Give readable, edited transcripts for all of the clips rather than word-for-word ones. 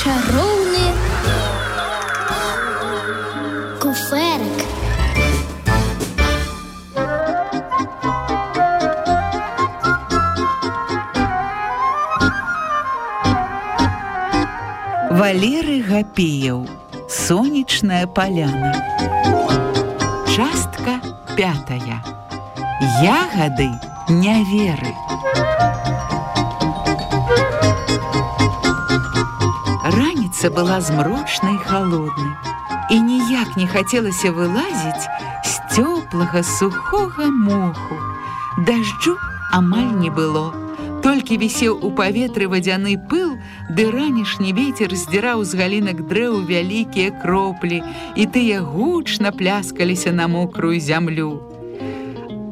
чароўны куфэрак. Валерый Гапеяў. Сонечная поляна. Частка 5. Ягоды няверы. Раніца была змрочнай і халоднай, і ніяк не хацелася вылазіць з цёплага сухога моху. Дажджу амаль не было. Толькі вісеў у паветры вадзяны пыл, ды ранішні вецер здзіраў з галінак дрэў вялікія кроплі, і тыя гучна пляскаліся на мокрую зямлю.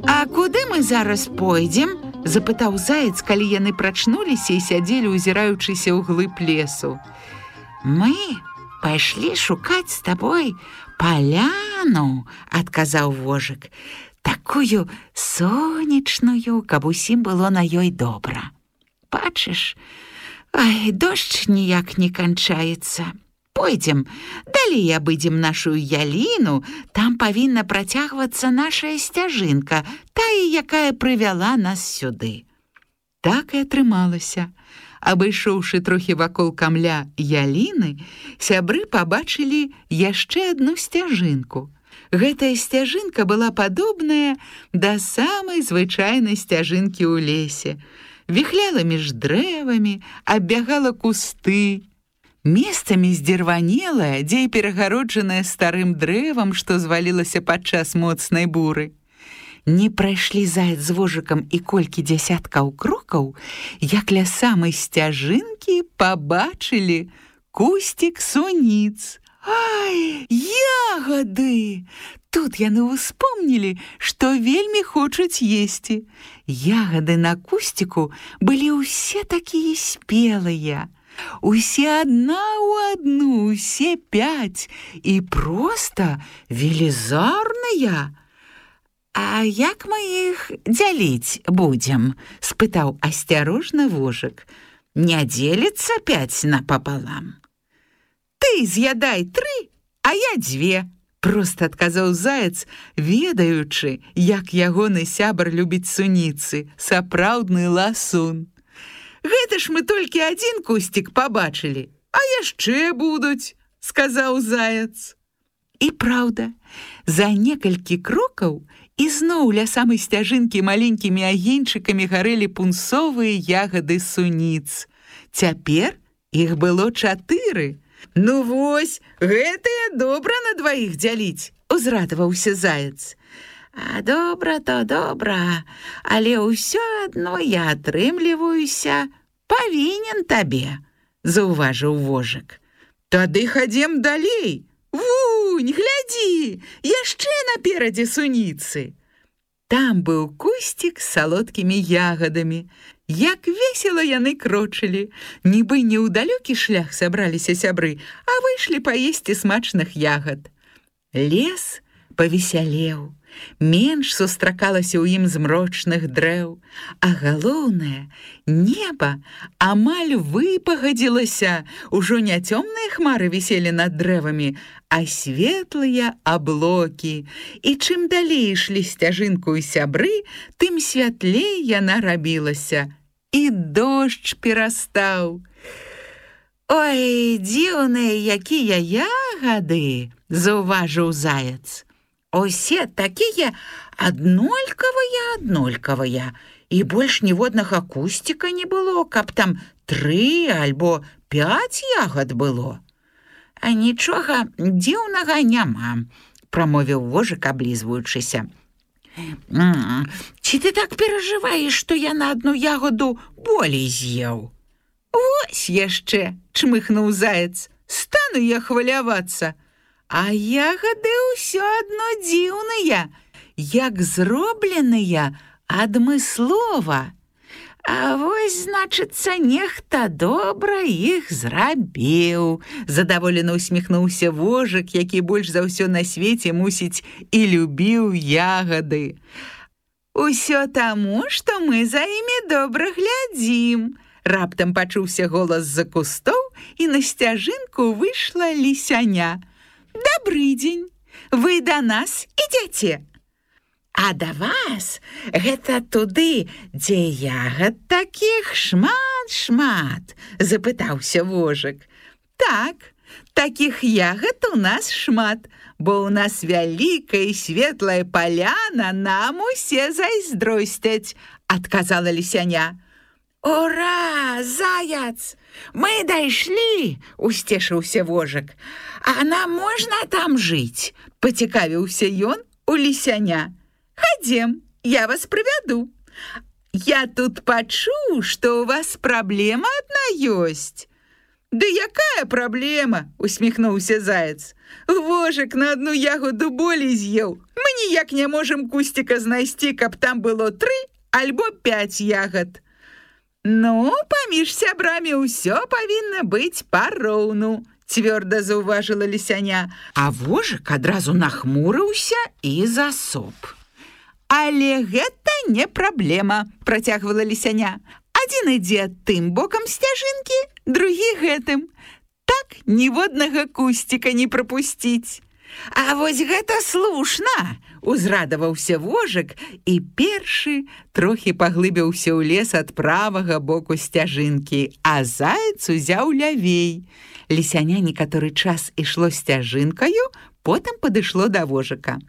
«А куды мы зараз пойдзем?» – запытаў заяц, калі яны прачнуліся і сядзелі, узіраючыся ў глыб лесу. «Мы пайшлі шукаць з табой паляну», – адказаў вожык. «Такую сонечную, каб усім было на ёй добра. Бачыш, дождж ніяк не канчаецца. Пойдзем, далей абыдзем нашу яліну, там павінна працягвацца нашая сцяжынка, тая, якая прывяла нас сюды». Так і атрымалася. Абышоўшы трохі вакол камля яліны, сябры пабачылі яшчэ адну сцяжынку. Гэтая сцяжынка была падобная да самай звычайнай сцяжынкі ў лесе. Віхляла між дрэвамі, аббягала кусты. Месцамі здзірванелая, дзе і перагароджаная старым дрэвам, што звалілася падчас моцнай буры. Не прайшлі заяц з вожыкам і колькі дзясяткаў крокаў, як ля самай сцяжынкі пабачылі кусцік суніц. «Ай, ягоды!» Тут яны ўспомнілі, што вельмі хочуць есці. Ягоды на кусціку былі ўсе такія спелыя. Усе адна ў адну, усе 5, і проста велізарныя. «А як мы іх дзяліць будзем?» – спытаў асцярожна вожык. «Не дзеліцца 5 напапалам?» «Ты з'ядай 3, а я 2», – проста адказаў заяц, ведаючы, як ягоны сябар любіць суніцы, сапраўдны ласун. «Гэта ж мы толькі адзін кусцік пабачылі, а яшчэ будуць», – сказаў заяц. І праўда, за некалькі крокаў ізноў ля самай сцяжынкі маленькімі агеньчыкамі гарэлі пунсовыя ягоды суніц. Цяпер іх было 4. «Ну вось, гэтыя добра на 2 дзяліць», – узрадаваўся заяц. «А добра то добра, але ўсё адно я атрымліваюся павінен табе», – заўважыў вожык. «Тады хадзем далей. Вунь, глядзі, яшчэ наперадзе суніцы». Там быў кусцік з салодкімі ягадамі. Як весела яны крочылі. Нібы не ў далёкі шлях сабраліся сябры, а выйшлі паесці смачных ягад. Лес павесялеў. Менш сустракалася ў ім змрочных дрэў, а галоўнае, неба амаль выпагадзілася. Ужо не цёмныя хмары віселі над дрэвамі, а светлыя аблокі. І чым далей ішлі сцяжынку сябры, тым святлей яна рабілася. І дождж перастаў. «Ой, дзіўныя якія ягады!» – заўважыў заяц. «Усе такія аднолькавыя, і больш ніводнага кусціка не было, каб там 3 альбо 5 ягад было». «А нічога дзіўнага няма», – прамовіў вожык, аблізваючыся. «Ці ты так перажываеш, што я на адну ягоду болей з'еў?» «Вось яшчэ», – чмыхнуў заяц, – «стану я хвалявацца. А ягоды ўсё адно дзіўныя, як зробленыя адмыслова. А вось, значыцца, нехта добра іх зрабіў», – задаволена усміхнуўся вожык, які больш за ўсё на свеце, мусіць, і любіў ягоды. «Усё таму, што мы за імі добра глядзім», – раптам пачуўся голас з-за кустоў, і на сцяжынку выйшла лісяня. «Добрый дзень! Вы да нас ідзяце?» «А да вас гэта туды, дзе ягад такіх шмат-шмат?» – запытаўся вожык. «Так, такіх ягад у нас шмат, бо ў нас вялікая і светлая паляна, нам усе зайздросцяць», – адказала лісяня. «Ура, заяц! Мы дайшлі!» – усцешыўся вожык. «А нам можна там жыць?» – пацікавіўся ён у лісяня. «Ходем, я вас проведу. Я тут пачуў, што у вас праблема адна ёсць». «Да якая праблема?» – усміхнуўся заяц. «Вожык на одну ягоду болей з'еў. Мы ніяк не можам кустика знайсці, каб там было 3 альбо 5 ягад». «Ну, паміж сябрамі ўсё павінна быць пароўну», – цвёрда заўважыла лісяня. А вожык адразу нахмурыўся і засоп. «Але гэта не праблема», – працягвала лісяня. «Адзін ідзе тым бокам сцяжынкі, другі гэтым. Так ніводнага кустика не прапусціць». «А вось гэта слушна!» – узрадаваўся вожык і першы трохі паглыбіўся ў лес ад правага боку сцяжынкі, а заяц узяў лявей. Лісяня некаторы час ішло сцяжынкаю, потым падышло да вожыка.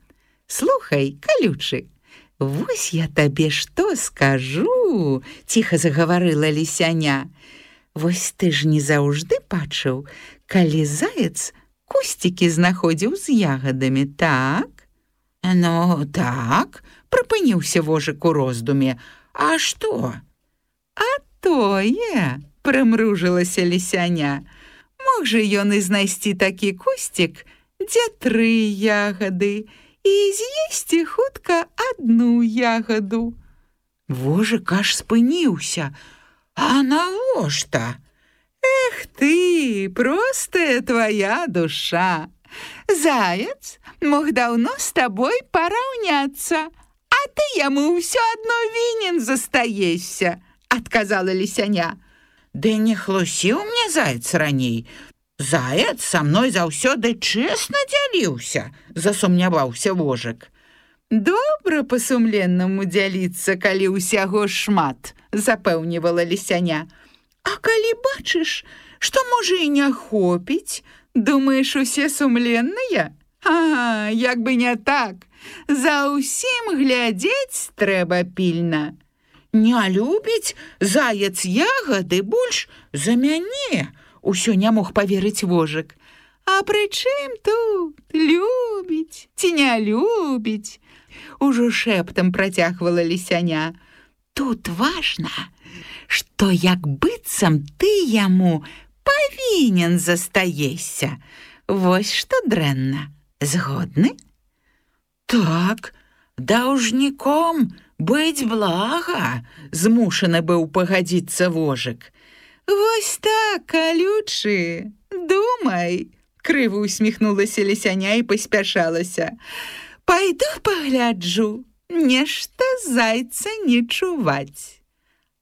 «Слухай, калючы, вось я табе што скажу», – ціха загаварыла лісяня. «Вось ты ж не заўжды бачыў, калі заяц кустики знаходзіў з ягадамі, так?» «Ну, так», – прыпыніўся вожык у роздуме. «А што?» «А тое», – прымружылася лісяня. «Мог жа ён і знайсці такі кустик, дзе 3 ягады, і з'есці хутка 1 ягаду». Вожык аж спыніўся. «А навошта?» «Эх ты, простая твоя душа! Заяц мог даўно з табой параўняцца, а ты яму ўсё адно вінен застаешся», – адказала лісяня. «Ды не хлусіў мне заяц раней. Заяц са мной заўсёды чэсна дзяліўся», – засумняваўся вожык. «Добра па-сумленнаму дзяліцца, калі ўсяго шмат», – запэўнівала лісяня. «А калі бачыш, што можа і не хопіць, думаеш, усе сумленныя? А, як бы не так, за ўсім глядзець трэба пільна. Не любіць заяц ягады больш за мяне», – усё не мог паверыць вожык. «А пры чым тут любіць ці не любіць?» – ужо шэптам працягвала лісяня. «Тут важна, што як быццам ты яму павінен застаешся. Вось што дрэнна. Згодны?» «Так, даўжніком быць блага», – змушаны быў пагадзіцца вожык. «Вось так, калючы, думай», – крыва усміхнулася лісяня і паспяшалася. «Пайду пагляджу, нешта зайца не чуваць».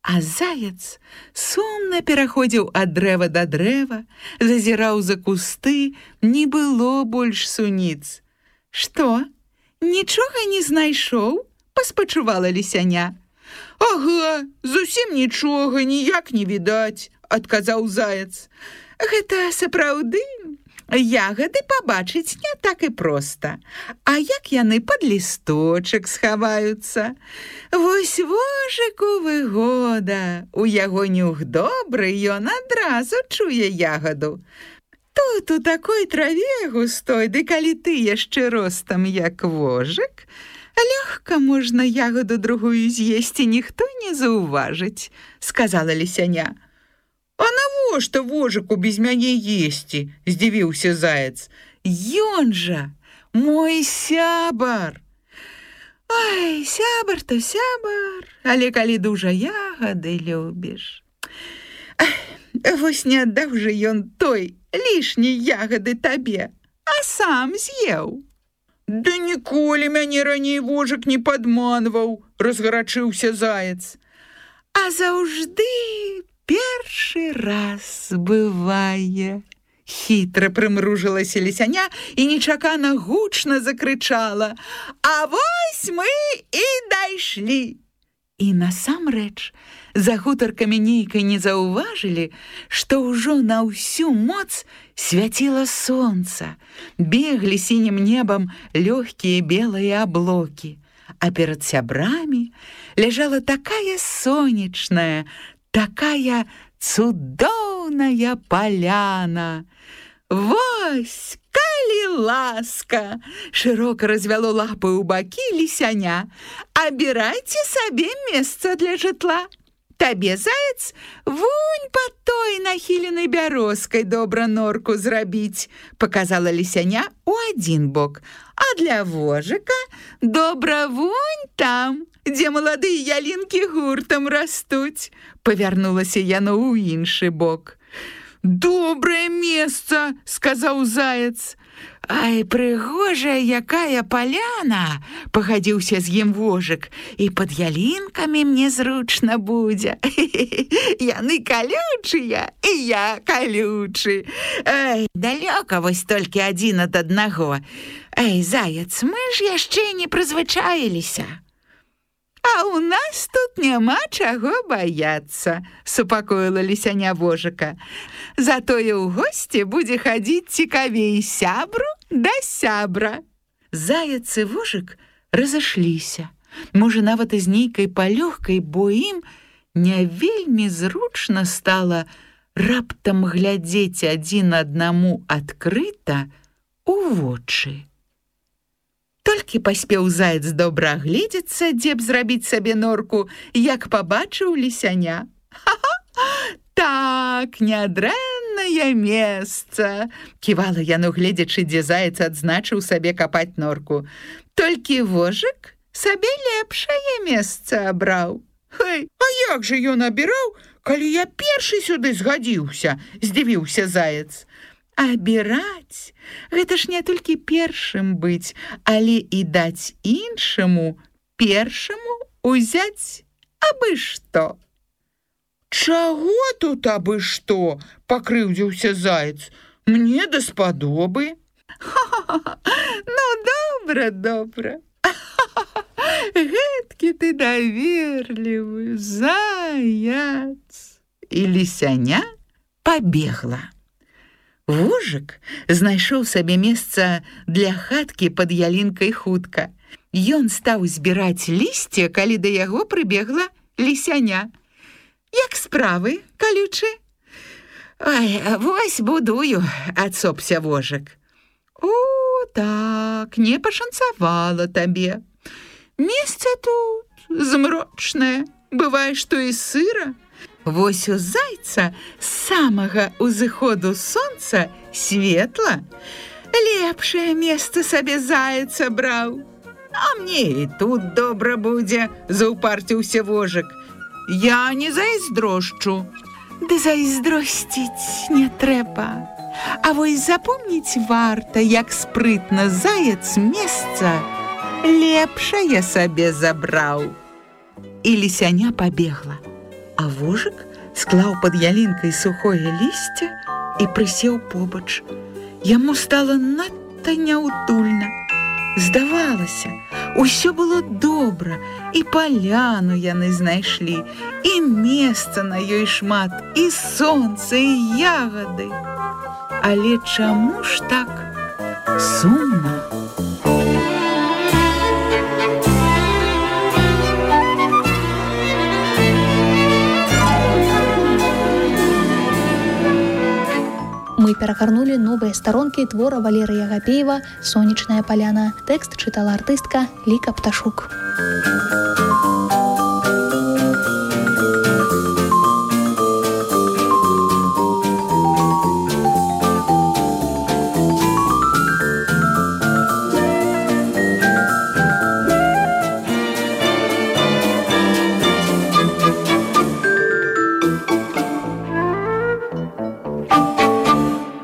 А заяц сумна пераходзіў ад дрэва да дрэва, зазіраў за кусты, не было больш суніц. «Што, нічога не знайшоў?» – паспачувала лісяня. «Ага, зусім нічога, ніяк не відаць», – адказаў заяц. «Гэта сапраўды ягады пабачыць не так і проста. А як яны пад лісточак схаваюцца? Вось вожыку выгода, у яго нюх добры, ён адразу чуе ягаду. Тут у такой траве густой, ды калі ты яшчэ ростам як вожык, лёгка можна ягаду другую з'есці, ніхто не заўважыць», – сказала лісяня. «А навошта вожыку без мяне есці?» – здзівіўся заяц. «Ён жа мой сябар». «Ой, сябар то сябар, але калі дужа ягады любіш. Вось не аддаў жа ён той лішняй ягады табе, а сам з'еў». «Да ніколі мяне раней вожык не падманваў», – разгарачыўся заяц. «А заўжды першы раз бывае. Хітра прымружылася лісяня і нечакана гучна закрычала: «А вось мы і дайшлі!» І насамрэч, за гутаркамі нейкай не заўважылі, што ўжо на ўсю моц свяціла сонца, беглі сінім небам лёгкія белыя аблокі, а перад сябрамі ляжала такая сонечная, такая цудоўная паляна. «Вось, калі ласка!» — шырока развяло лапы ў бакі лісяня. «Абірайце сабе месца для жытла. Табе, заяц, вунь под той нахіленай бярозкай добра норку зрабіць», — показала лісяня у адзін бок. «А для вожыка добра вунь там, дзе маладыя ялінкі гуртам растуць», — павярнулася яно ў іншы бок. «Добрае месца», — сказаў заяц. «Ай, прыгожая якая паляна!» — пагадзіўся з ім вожык. «І пад ялінкамі мне зручна будзе. Яны калючыя, і я калючы. Ай, далёка вось толькі адзін ад аднаго. Ай, заяц, мы ж яшчэ не прызвычаіліся». «А ў нас тут няма чаго баяцца», — супакоіла лісяня вожыка. «Затое ў госці будзе хадзіць цікавей сябру да сябра». Заяц і вожык разышліся. Можа, нават і з нейкай палёгкай, бо ім не вельмі зручна стала раптам глядзець адзін аднаму адкрыта ў вочы. Толькі паспеў заяц добра агледзецца, дзе б зрабіць сабе норку, як пабачыў лісяня. «Так, нядрэннае месца!» — ківала яно, гледзячы, дзе заяц адзначыў сабе капаць норку. «Толькі вожык сабе лепшае месца абраў». «Хай, а як жа ён абіраў, калі я першы сюды згадзіўся?» — здзівіўся заяц. «Абіраць — гэта ж не толькі першым быць, але і даць іншаму першаму узяць абы што». «Чаго тут абы што?» — пакрыўдзіўся заяц. «Мне даспадобы». «Ну, добра, добра. Гэткі ты даверлівы, заяц». І лісяня пабегла. Вожык знайшоў сабе месца для хаткі пад ялінкай хутка. Ён стаў збіраць лісце, калі да яго прыбегла лісяня. «Як справы, калючы?» «Ой, вось будую», — адсопся вожык. «О, так, не пашанцавала табе. Месца тут змрочнае, бывае, што і сыра. Вось у зайца з самага ўзыходу сонца светла. Лепшае месца сабе заяц абраў. А мне і тут добра будзе», — заўпарціўся вожык. «Я не зайздрошчу». «Ды зайздросціць не трэба. А вось запомніць варта, як спрытна заяц месца лепшае сабе забраў». І лісяня пабегла. А вожык склаў пад ялінкай сухое лісце і прысеў побач. Яму стала надта няўтульна. Здавалася, усё было добра, і паляну яны знайшлі, і месца на ёй шмат, і сонца, і ягады. Але чаму ж так сумна? Мы перагарнулі новыя старонкі твора Валерыя Гапеева «Сонечная паляна». Тэкст чытала артыстка Ліка Пташук.